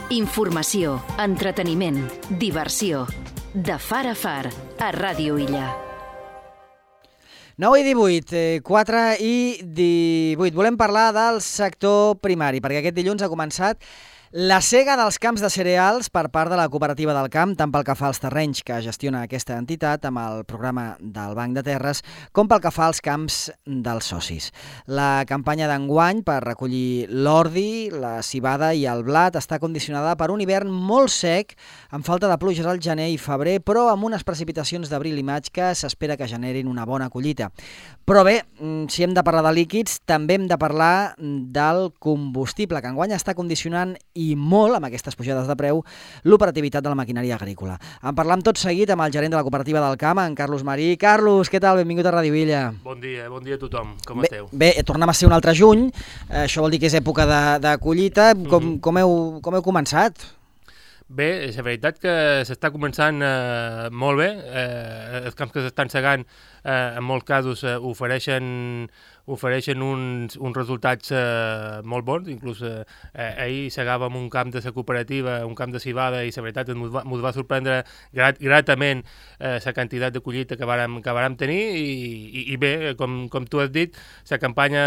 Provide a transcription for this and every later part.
Informació, entreteniment, diversió. De far a far, a Ràdio Illa. 9 i 18, 4 i 18. Volem parlar del sector primari, perquè aquest dilluns ha començat la sega dels camps de cereals per part de la Cooperativa del Camp, tant pel que fa als terrenys que gestiona aquesta entitat amb el programa del Banc de Terres, com pel que fa als camps dels socis. La campanya d'enguany per recollir l'ordi, la civada i el blat està condicionada per un hivern molt sec, amb falta de pluges al gener i febrer, però amb unes precipitacions d'abril i maig que s'espera que generin una bona collita. Però bé, si hem de parlar de líquids, també hem de parlar del combustible, que enguany està condicionant i molt, amb aquestes pujades de preu, l'operativitat de la maquinària agrícola. En parlam tot seguit amb el gerent de la Cooperativa del Camp, en Carlos Marí. Carlos, què tal? Benvingut a Ràdio Illa. Bon dia a tothom. Com esteu? Bé, tornem a ser un altre juny. Això vol dir que és època de collita. Com heu començat? Bé, és la veritat que s'està començant molt bé. Els camps que s'estan segant, en molts casos, ofereixen uns resultats molt bons. Inclús ahir segàvem un camp de la cooperativa, un camp de civada, i la veritat ens va sorprendre gratament la quantitat de collita que vàrem tenir, i bé, com tu has dit, la campanya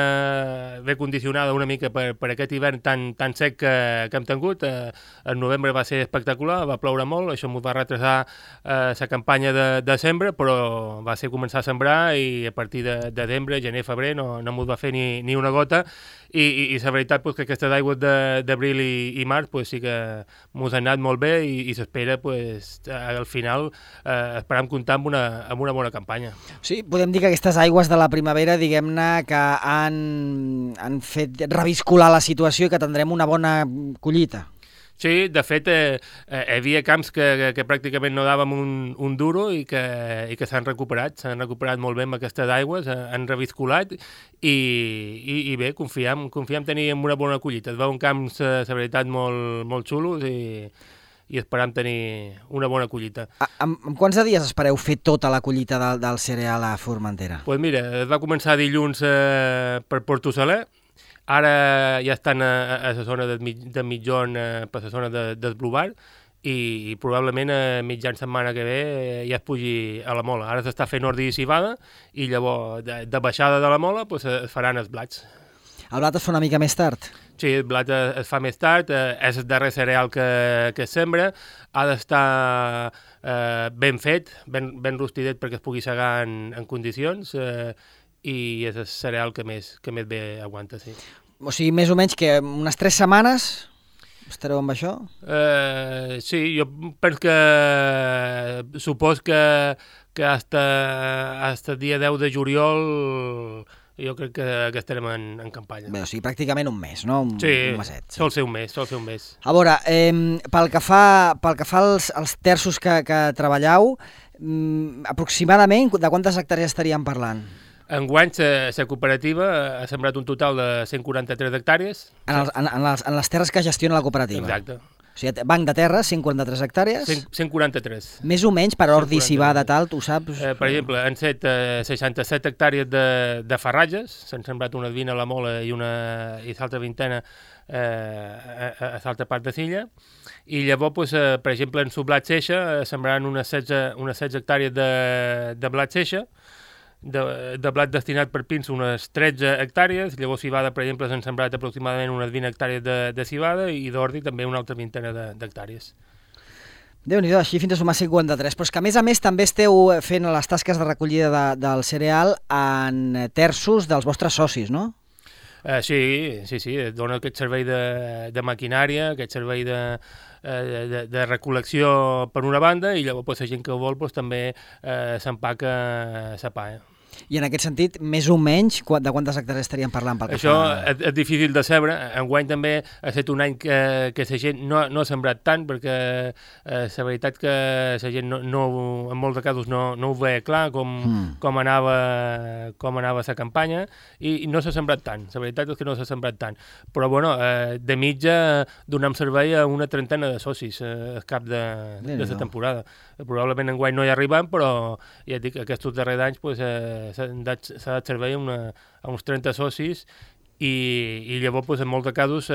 ve condicionada una mica per aquest hivern tan sec que hem tingut. El novembre va ser espectacular, va ploure molt, això ens va retrasar la campanya de sembra, però va ser començar a sembrar, i a partir de desembre, gener, febrer no ens va fer ni una gota, i la veritat que aquestes aigües d'abril i març sí que ens han anat molt bé, i s'espera al final esperam comptar amb una bona campanya. Sí, podem dir que aquestes aigües de la primavera, diguem-ne, que han fet reviscolar la situació i que tindrem una bona collita. Sí, de fet, hi havia camps que pràcticament no dàvem un duro i que s'han recuperat molt bé amb aquestes aigües, han reviscolat, i bé, confiem tenir una bona collita. Es veuen camps, la veritat, molt xulos, i esperam tenir una bona collita. En quants de dies espereu fer tota la collita del cereal a Formentera? Doncs mira, es va començar dilluns per Porto Saler. Ara ja estan a la zona de mitjon, per la zona del Blubar, i probablement a mitjan setmana que ve ja es pugi a la mola. Ara s'està fent ordi i civada, i llavors de baixada de la mola es faran els blats. El blat es fa una mica més tard? Sí, el blat es fa més tard, és el darrer cereal que es sembra, ha d'estar ben fet, ben rostidet perquè es pugui segar en condicions, i és el cereal que més bé aguanta, sí. O sigui, més o menys que unes 3 setmanes estareu amb això? Sí, jo penso que supos que hasta dia 10 de juliol jo crec que estarem en campanya. Bé, o sigui, pràcticament un mes, no? Un meset. Sí, sol ser un mes. A veure, pel que fa als terços que treballeu, aproximadament de quantes hectàrees estaríem parlant? Enguany, la cooperativa ha sembrat un total de 143 hectàrees. En les terres que gestiona la cooperativa? Exacte. O sigui, Banc de Terres, 143 hectàrees? 143. Més o menys per ordi, civada, tal, tu saps? Per exemple, han set 67 hectàrees de farratges, s'han sembrat unes 20 a la Mola i l'altra vintena a l'altra part de l'illa, i llavors, per exemple, en su blat seixa sembraran unes 16 hectàrees de blat seixa, de blat destinat per pins unes 13 hectàrees, llavors civada, per exemple, s'han sembrat aproximadament unes 20 hectàrees de civada, i d'ordi també una altra vintena d'hectàrees. Déu-n'hi-do, així fins a sumar 53, però és que a més també esteu fent les tasques de recollida del cereal en terços dels vostres socis, no? Sí, dona aquest servei de maquinària, aquest servei de recol·lecció per una banda, i llavors la gent que ho vol també s'empaca la pa. I en aquest sentit, més o menys, de quantes hectàrees estaríem parlant? Això és difícil de saber. Enguany també ha estat un any que la gent no ha sembrat tant, perquè la veritat que la gent en molts casos no ho veia clar com anava la campanya, i no s'ha sembrat tant. La veritat és que no s'ha sembrat tant. Però, bueno, de mitja donem servei a una trentena de socis al cap de la temporada. Probablement enguany no hi arribem, però ja et dic, aquests darrers anys s'ha dat servei a uns 30 socis, i llavors en molts casos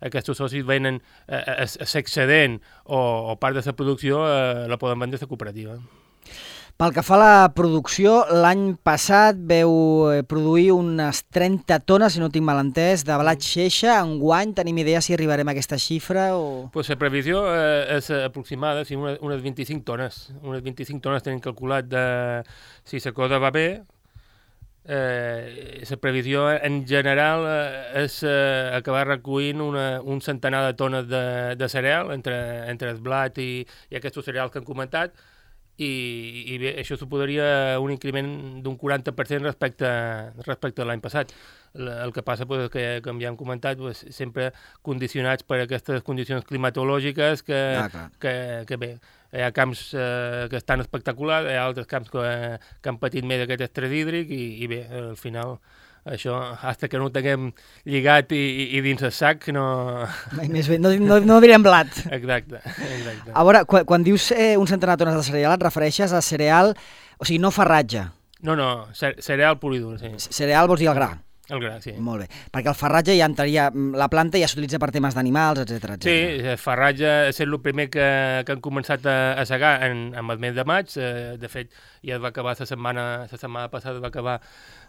aquests socis venen l'excedent o part de la producció la poden vendre a la cooperativa. Pel que fa a la producció, l'any passat veu produir unes 30 tones, si no tinc mal entès, de blat xeixa. Enguany tenim idea si arribarem a aquesta xifra o... Pues la previsió és aproximada, sí, unes 25 tones. Unes 25 tones tenim calculat si la cosa va bé. La previsió en general és acabar recollint un centenar de tones de cereal entre el blat i aquests cereals que hem comentat. I bé, això suposaria un increment d'un 40% respecte a l'any passat. El que passa és que, com ja hem comentat, sempre condicionats per aquestes condicions climatològiques que bé, hi ha camps que estan espectaculars, hi ha altres camps que han patit més aquest estrès hídric i bé, al final això, fins que no ho tinguem lligat i dins el sac, no... Més bé, no direm blat. Exacte. A veure, quan dius un centenar de tones de cereal, et refereixes a cereal, o sigui, no farratge. No, cereal pur i dur, sí. Cereal vols dir el gra? El gra, sí. Molt bé, perquè el farratge ja entraria, la planta ja s'utilitza per temes d'animals, etc. Sí, el farratge és el primer que han començat a segar en el mes de maig. De fet, ja es va acabar la setmana passada va acabar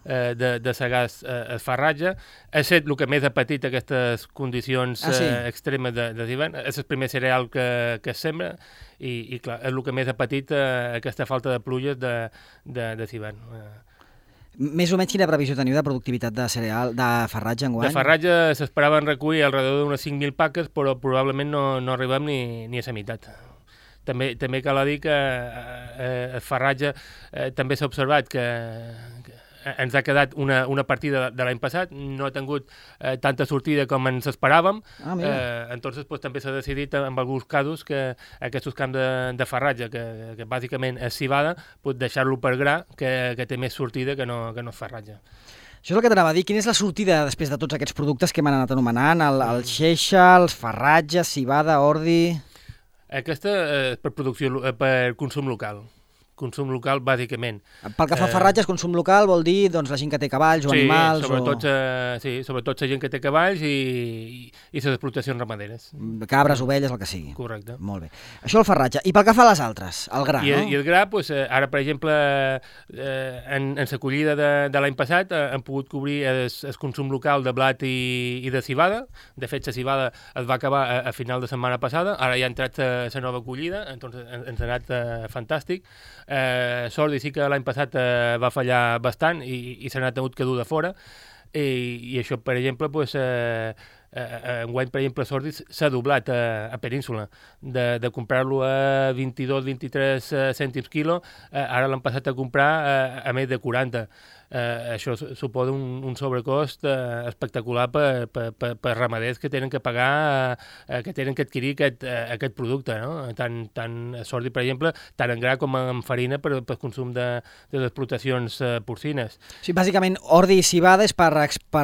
de segar el farratge. Ha estat el que més ha patit aquestes condicions extremes d'hivern. És el primer cereal que es sembra i clar, és el que més ha patit aquesta falta de pluges d'hivern. Més o menys quina previsió teniu de productivitat de cereal, de farratge enguany? De farratge s'esperaven recollir alrededor d'unes 5.000 paques, però probablement no arribem ni a la meitat. També cal dir que el farratge també s'ha observat que ens ha quedat una partida de l'any passat, no ha tingut tanta sortida com ens esperàvem, entonces també s'ha decidit en alguns casos que aquests camps de farratge, que bàsicament és civada, deixar-lo per gra, que té més sortida que no és farratge. Això és el que t'anava a dir. Quina és la sortida després de tots aquests productes que m'han anat anomenant? El xeixa, els farratges, civada, ordi... Aquesta és per consum local. Consum local, bàsicament. Pel que fa a farratges, consum local vol dir la gent que té cavalls o animals... Sobretot la gent que té cavalls i les explotacions ramaderes. Cabres, ovelles, el que sigui. Correcte. Molt bé. Això el farratge. I pel que fa a les altres, el gra, no? I el gra, ara, per exemple, en la collida de l'any passat hem pogut cobrir el consum local de blat i de civada. De fet, la civada es va acabar a final de setmana passada. Ara ja ha entrat la nova collida, entonces ens ha anat fantàstic. Sordi sí que l'any passat va fallar bastant i se n'ha tingut que dur de fora i això, per exemple, enguany, per exemple, Sordi s'ha doblat a Península de comprar-lo a 22-23 cèntims quilo, ara l'han passat a comprar a més de 40. Això suposa un sobrecost espectacular per ramaders que tenen que pagar, que tenen que adquirir aquest producte, no? Tant Sordi, per exemple, tant en gra com en farina per consum de les explotacions porcines. Sí, bàsicament, ordi i civada és per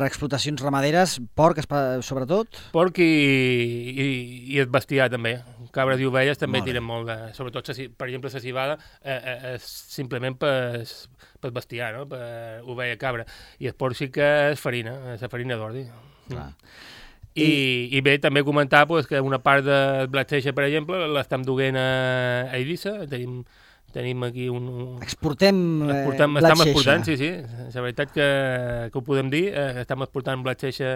explotacions ramaderes, porc sobretot? Porc i el bestiar també. Cabres i ovelles també tiren molt, sobretot, per exemple, la civada és simplement per bestiar, no? Per ovella, cabra. I el porc sí que és farina, és la farina d'ordi. I bé, també comentar que una part del blat xeixa, per exemple, l'estem duent a Eivissa. Tenim aquí Exportem blat xeixa. Sí. La veritat que ho podem dir, estem exportant blat xeixa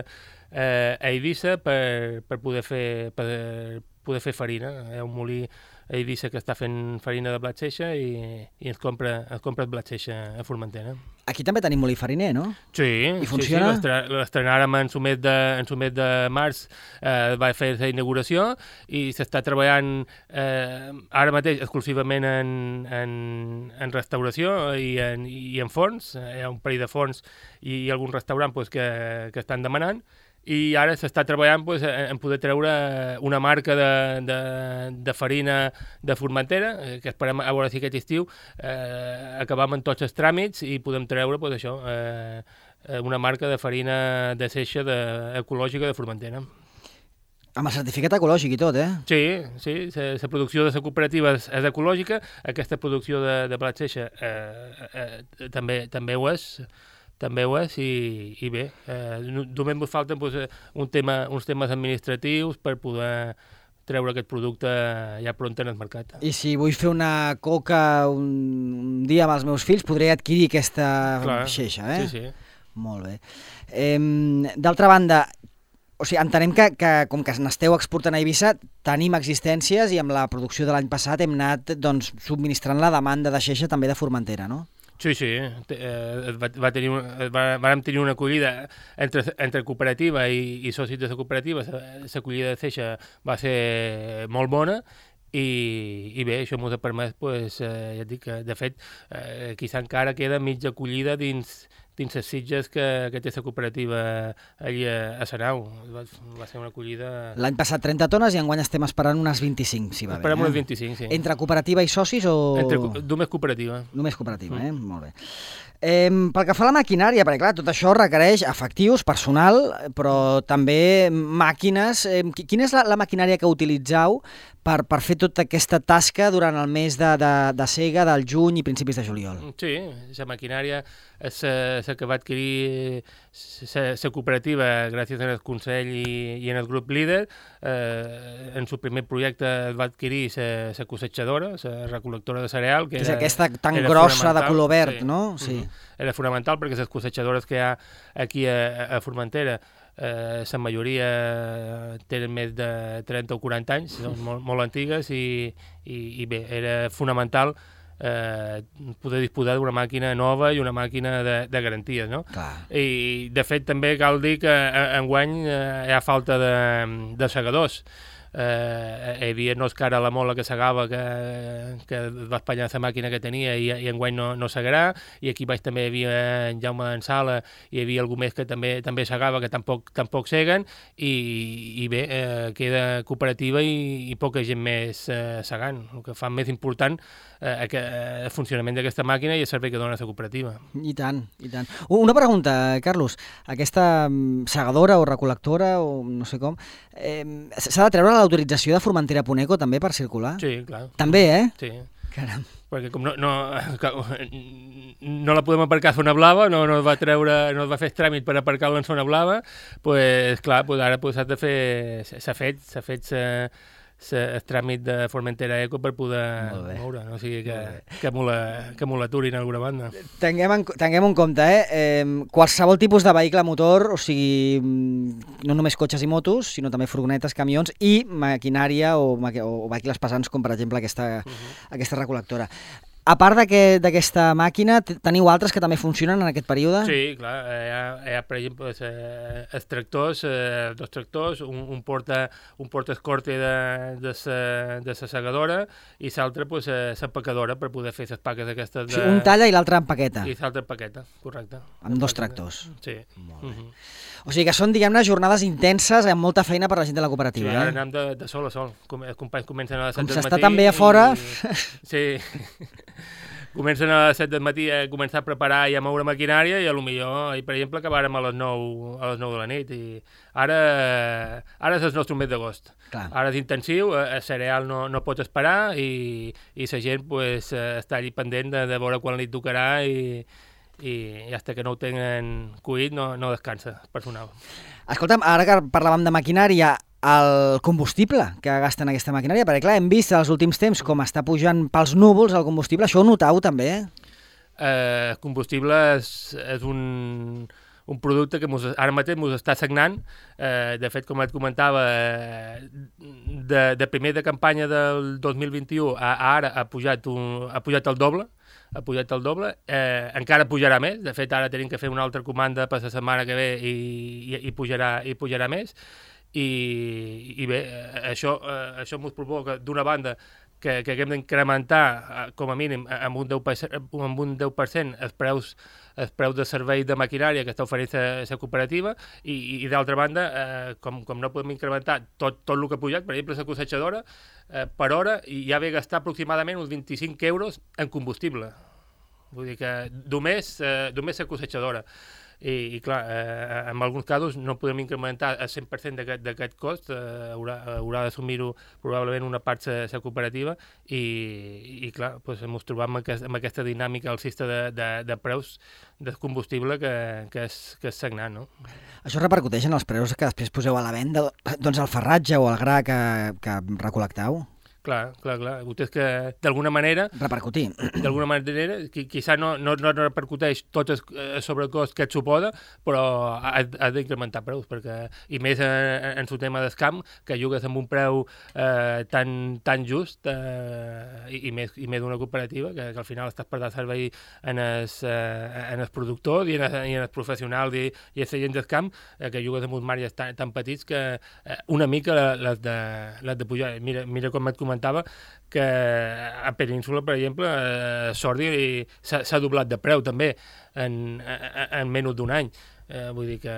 a Eivissa per poder fer farina. Hi ha un molí a Eivissa que està fent farina de blat xeixa i ens compra el blat xeixa a Formentera. Aquí també tenim molí fariner, no? Sí. I funciona? Sí, l'estrenàrem en su mes de març, va fer la inauguració i s'està treballant ara mateix exclusivament en restauració i en forns. Hi ha un parell de forns i algun restaurant que estan demanant. I ara s'està treballant en poder treure una marca de farina de Formentera, que esperem a veure si aquest estiu acabam amb tots els tràmits i podem treure una marca de farina de seixa ecològica de Formentera. Amb el certificat ecològic i tot, eh? Sí, la producció de la cooperativa és ecològica, aquesta producció de blat seixa també ho és, també ho és, i bé, només ens falten uns temes administratius per poder treure aquest producte ja pront en el mercat. I si vull fer una coca un dia amb els meus fills, podré adquirir aquesta xeixa, eh? Sí. Molt bé. D'altra banda, o sigui, entenem que com que n'esteu exportant a Eivissa, tenim existències i amb la producció de l'any passat hem anat subministrant la demanda de xeixa també de Formentera, no? Sí, vam tenir una acollida entre cooperativa i socis de la cooperativa. L'acollida de Ceixa va ser molt bona i bé, això ens ha permès, ja et dic que, de fet, quizà encara queda mitja acollida dins les sitges que té la cooperativa allí a Sanau. Va ser una acollida... L'any passat 30 tones i enguany estem esperant unes 25, si va bé. Esperem unes 25, sí. Entre cooperativa i socis o...? Només cooperativa. Només cooperativa, molt bé. Pel que fa a la maquinària, perquè clar, tot això requereix efectius, personal, però també màquines. Quina és la maquinària que utilitzeu per fer tota aquesta tasca durant el mes de sega del juny i principis de juliol? Sí, la maquinària és la que va adquirir la cooperativa gràcies al Consell i en el grup líder. En el primer projecte va adquirir la cossetjadora, la recol·lectora de cereal. Que és aquesta tan grossa de color verd, sí. No? Sí. Era fonamental perquè les cossetjadores que hi ha aquí a Formentera, la majoria tenen més de 30 o 40 anys, són molt antigues i bé, era fonamental poder disposar d'una màquina nova i una màquina de garanties, no? Clar. I de fet també cal dir que enguany hi ha falta de segadors. Hi havia Òscar a la Mola que segava, que va espanyar la màquina que tenia i enguany no segarà, i aquí baix també hi havia en Jaume en Sala, i hi havia algú més que també segava, que tampoc seguen, i bé, queda cooperativa i poca gent més segant, el que fa més important el funcionament d'aquesta màquina i el servei que dona la cooperativa. I tant, i tant. Una pregunta, Carlos, aquesta segadora o recol·lectora, o no sé com, s'ha de treure l'autorització de Formentera Puneco també per circular? Sí, clar. També, Sí. Caram. Perquè com no la podem aparcar a Zona Blava, no es va fer tràmit per aparcar-la en Zona Blava, doncs clar, ara s'ha de fer, s'ha fet el tràmit de Formentera Eco per poder moure, no? O sigui que m'ho l'aturin d'alguna banda. Tinguem en compte, qualsevol tipus de vehicle motor, o sigui, no només cotxes i motos, sinó també furgonetes, camions i maquinària o vehicles pesants, com per exemple aquesta recol·lectora. A part d'aquesta màquina, teniu altres que també funcionen en aquest període? Sí, clar. Hi ha per exemple, els tractors, dos tractors, un porta escorte de la segadora i l'altre l'empacadora per poder fer les paques aquestes. Sí, un talla i l'altre empaqueta. I l'altre empaqueta, correcte. Amb dos tractors. Sí. O sigui que són, diguem-ne, jornades intenses amb molta feina per a la gent de la cooperativa. Sí, ara anem de sol a sol. Els companys comencen a les 7 del matí. Com s'està tan bé a fora... Sí. Comencen a les 7 del matí a començar a preparar i a moure maquinària i potser, per exemple, acabàrem a les 9 de la nit. I ara és el nostre mes d'agost. Ara és intensiu, el cereal no pot esperar i la gent està allí pendent de veure quan li tocarà i fins que no ho tenen cuit no descansa el personal. Escolta'm, ara que parlàvem de maquinària, el combustible que gasten aquesta maquinària, perquè clar, hem vist els últims temps com està pujant pels núvols el combustible, això ho notau també? El combustible és un producte que ara mateix ens està sagnant. De fet, com et comentava, de primer de campanya del 2021 a ara ha pujat el doble. Encara pujarà més. De fet, ara tenim que fer una altra comanda per la setmana que ve i pujarà més. I bé, això ens provoca, d'una banda, que haguem d'incrementar com a mínim amb un 10% els preus de servei de maquinària que està oferint la cooperativa i d'altra banda, com no podem incrementar tot el que ha pujat, per exemple, la cossetjadora, per hora ja ve a gastar aproximadament uns 25 euros en combustible. Vull dir que només la cossetjadora. i clar, en alguns casos no podem incrementar el 100% d'aquest cost, haurà d'assumir-ho probablement una part la cooperativa i clar, doncs ens trobam amb aquesta dinàmica alcista de preus del combustible que és sagnant, no? Això repercuteix en els preus que després poseu a la venda, doncs el farratge o el gra que recol·lecteu? Clar. És que d'alguna manera... Repercutir. D'alguna manera, quizà no repercuteix tot el sobrecost que et suposa, però has d'incrementar preus, perquè, i més en el tema del camp, que jugues amb un preu tan just, i més d'una cooperativa, que al final estàs per dar servei en els productors i en els professionals i els gent del camp, que jugues amb uns marges tan petits que una mica les de pujar. Mira com et comentava que a Península, per exemple, Sordi s'ha doblat de preu també en menys d'un any. Vull dir que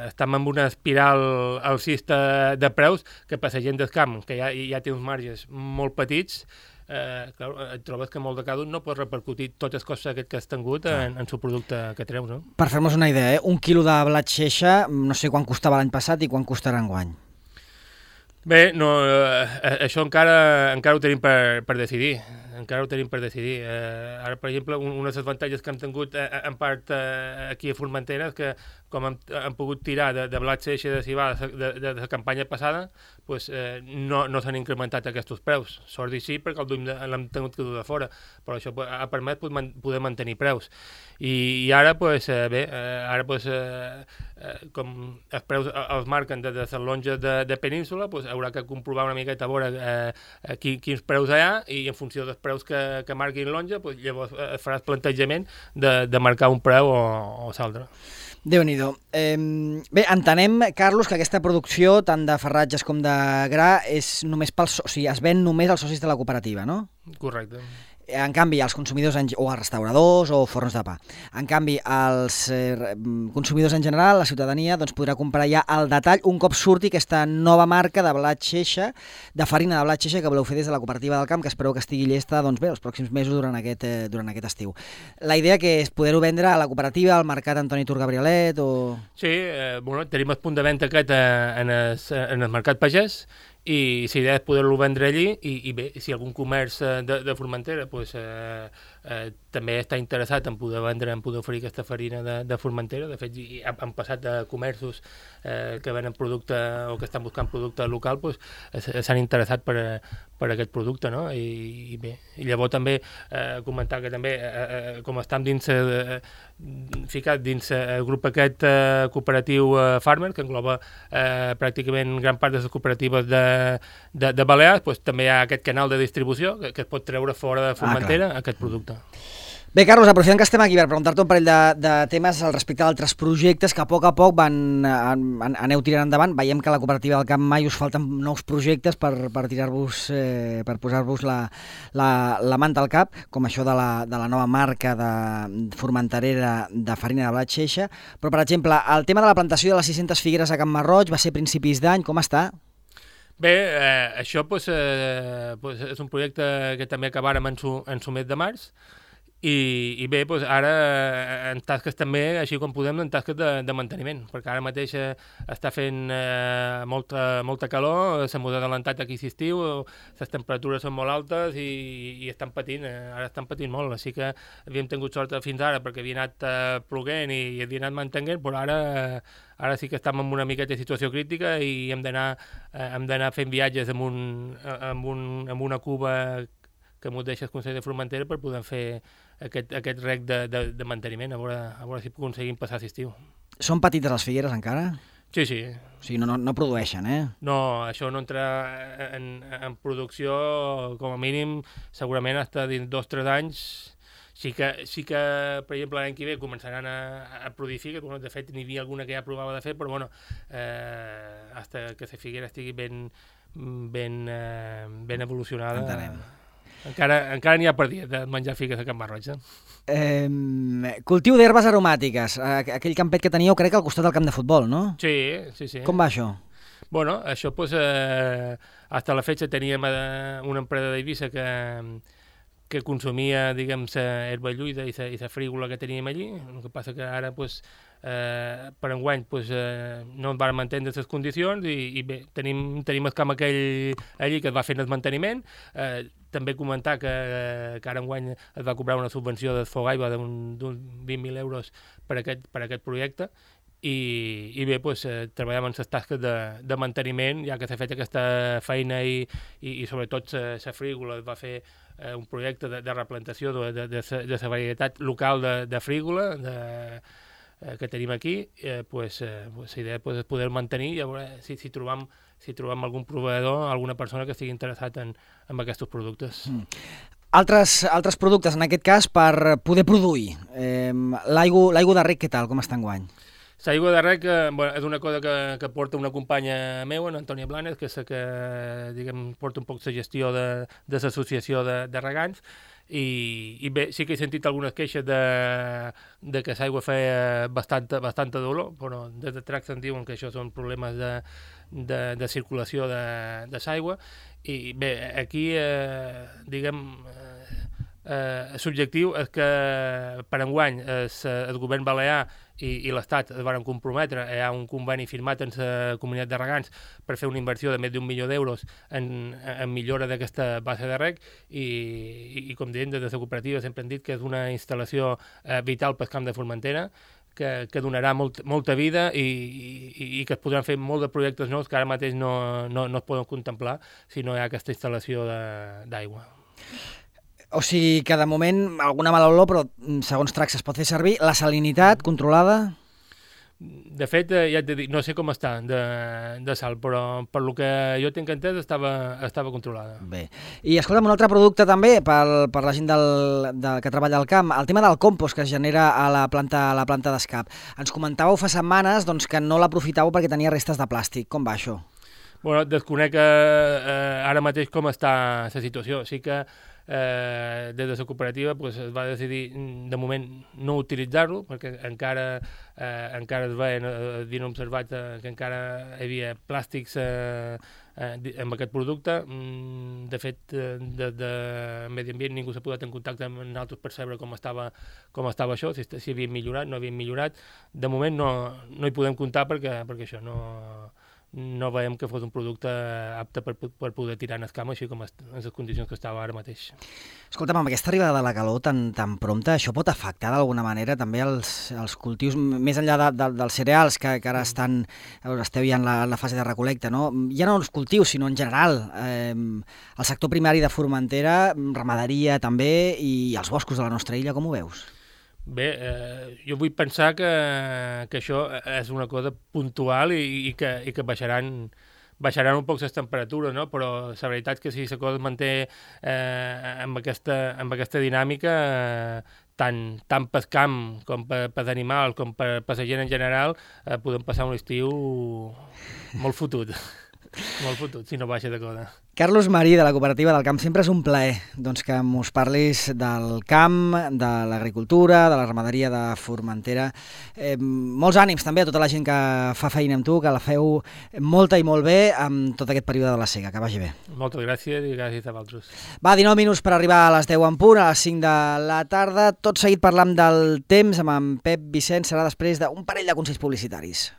estem en una espiral alcista de preus que per la gent del camp, que ja té uns marges molt petits, clar, et trobes que en molts de casos no pots repercutir tots els costos que has tingut en el producte que treus, no? Per fer-nos una idea, un quilo de blat xeixa, no sé quan costava l'any passat i quan costarà enguany. Bé, no, això encara ho tenim per decidir. Ara, per exemple, un dels avantatges que hem tingut en part aquí a Formentera és que com hem pogut tirar de blat xeixa de civada de la campanya passada, pues, no s'han incrementat aquests preus. Sort i sí, perquè l'hem tingut que dur de fora, però això ha permès poder mantenir preus. I ara, pues, com els preus els marquen des de les longes de Península, pues, haurà que comprovar una miqueta a veure quins preus hi ha, i en funció dels preus que marquin lonja, pues, llavors faràs plantejament de marcar un preu o l'altre. Déu-n'hi-do. Bé, entenem, Carlos, que aquesta producció, tant de farratges com de gra, és només o sigui, es ven només als socis de la cooperativa, no? Correcte. En canvi, els consumidors o els restauradors o forns de pa. En canvi, els consumidors en general, la ciutadania, doncs podrà comprar ja al detall un cop surti aquesta nova marca de blat xeixa, de farina de blat xeixa que voleu fer des de la cooperativa del camp, que espereu que estigui llesta, doncs bé, els pròxims mesos durant aquest estiu. La idea que és poder-ho vendre a la cooperativa, al mercat Antoni Tur Gabrielet o... Sí, tenim el punt de venda aquest en el mercat pagès, i la idea és poder-lo vendre allí i bé, si algun comerç de Formentera pues, també està interessat en poder vendre, en poder oferir aquesta farina de Formentera. De fet, han passat de comerços que venen producte o que estan buscant producte local, pues, s'han interessat per aquest producte, no? I bé, i llavors també comentar que també com estem ficat dins el grup aquest cooperatiu Farmer, que engloba pràcticament gran part de les cooperatives de Balears, pues, també hi ha aquest canal de distribució que es pot treure fora de Formentera aquest producte. Bé, Carlos, aprofitant que estem aquí per preguntar-te un parell de temes al respecte d'altres projectes que a poc aneu tirant endavant. Veiem que a la cooperativa del Camp mai us falten nous projectes per tirar-vos, per posar-vos la manta al cap, com això de la nova marca de formenterera de farina de blat xeixa. Però, per exemple, el tema de la plantació de les 600 figueres a Can Marroig va ser a principis d'any. Com està? Bé, això pues, és un projecte que també acabarem en su mes de març, i bé, doncs ara en tasques també, així com podem, en tasques de manteniment, perquè ara mateix està fent molta calor, s'ha molt adelantat aquí aquest estiu, les temperatures són molt altes i estan patint, ara estan patint molt, així que havíem tingut sort fins ara perquè havia anat ploguent i havia anat mantenint, però ara sí que estem en una miqueta de situació crítica i hem d'anar fent viatges amb una cuba que m'ho deixa el Consell de Formentera per poder fer aquest rec de manteniment, a veure si aconseguim passar l'estiu. Són petites les figueres encara? Sí. O sigui, no produeixen, eh? No, això no entra en producció, com a mínim, segurament fins dins 2 o 3 anys. Sí que, per exemple, l'any que ve començaran a produir figues, de fet n'hi havia alguna que ja provava de fer, però bueno, fins que la figuera estigui ben evolucionada. Entenem. Encara n'hi ha per dia de menjar figues a Can Marroig. Cultiu d'herbes aromàtiques, aquell campet que teníeu crec al costat del camp de futbol, no? Sí. Com va això? Bueno, això pues, hasta la fecha teníem una empresa d'Eivissa que consumia, diguem, la herba lluïda i la frígola que teníem allí. El que passa que ara pues, per enguany no ens van entendre les condicions i bé, tenim el camp aquell allí que es va fent el manteniment. També comentar que ara enguany es va cobrar una subvenció de Fogaigua d'uns 20.000 euros per aquest projecte. I bé, treballem en les tasques de manteniment, ja que s'ha fet aquesta feina i sobretot la frígola es va fer un projecte de replantació de la varietat local de frígola que tenim aquí. La idea és poder mantenir i a veure si trobam algun proveïdor, alguna persona que estigui interessat en aquests productes. Altres productes, en aquest cas, per poder produir. L'aigua de rec, què tal? Com està enguany? L'aigua de rec és una cosa que porta una companya meva, Antònia Blanes, que és la que porta un poc la gestió de l'associació de regants, i bé, sí que he sentit algunes queixes de que l'aigua feia bastanta dolor, però des de Tracs ens diuen que això són problemes de circulació de l'aigua, i bé, aquí l'objectiu és que per enguany el govern balear i l'Estat es van comprometre, hi ha un conveni firmat amb la comunitat de regants per fer una inversió de més d'1 milió d'euros en millora d'aquesta base de rec i com diem, des de la cooperativa sempre hem dit que és una instal·lació vital pel camp de Formentera, que donarà molta vida i que es podran fer molts de projectes nous que ara mateix no es poden contemplar si no hi ha aquesta instal·lació d'aigua. O sigui que de moment alguna mala olor, però segons Tracs es pot fer servir. La salinitat controlada? De fet, ja et dic, no sé com està de sal, però per lo que jo tinc entès estava controlada. Bé. I escolta'm, un altre producte també per la gent que treballa al camp, el tema del compost que es genera a la planta d'escap. Ens comentàveu fa setmanes que no l'aprofitàveu perquè tenia restes de plàstic. Com va això? Bueno, desconec ara mateix com està la situació. Sí que des de la cooperativa es va decidir de moment no utilitzar-lo perquè encara es havien observat que encara hi havia plàstics amb aquest producte. De fet, des de Medi Ambient ningú s'ha posat en contacte amb nosaltres per saber com estava això, si havien millorat, no havien millorat. De moment no hi podem comptar perquè això no veiem que fos un producte apte per poder tirar en el camp, així com en les condicions que estava ara mateix. Escolta'm, amb aquesta arribada de la calor tan prompta, això pot afectar d'alguna manera també els cultius, més enllà dels cereals, que ara esteu ja en la fase de recol·lecta, no? Ja no els cultius, sinó en general. El sector primari de Formentera, ramaderia també, i els boscos de la nostra illa, com ho veus? Bé, jo vull pensar que això és una cosa puntual i que baixaran un poc les temperatures, no? Però la veritat és que si la cosa es manté amb aquesta dinàmica, tant pel camp com per animals com per la gent en general, podem passar un estiu molt fotut. Molt fotut, si no baixa de cosa. Carlos Marí, de la Cooperativa del Camp, sempre és un plaer que mos parlis del camp, de l'agricultura, de la ramaderia de Formentera. Molts ànims també a tota la gent que fa feina amb tu, que la feu molta i molt bé amb tot aquest període de la sega. Que vagi bé. Moltes gràcies i gràcies a vosaltres. Va, 19 minuts per arribar a les 10 en punt, a les 5 de la tarda. Tot seguit parlant del temps amb en Pep Vicent, serà després d'un parell de consells publicitaris.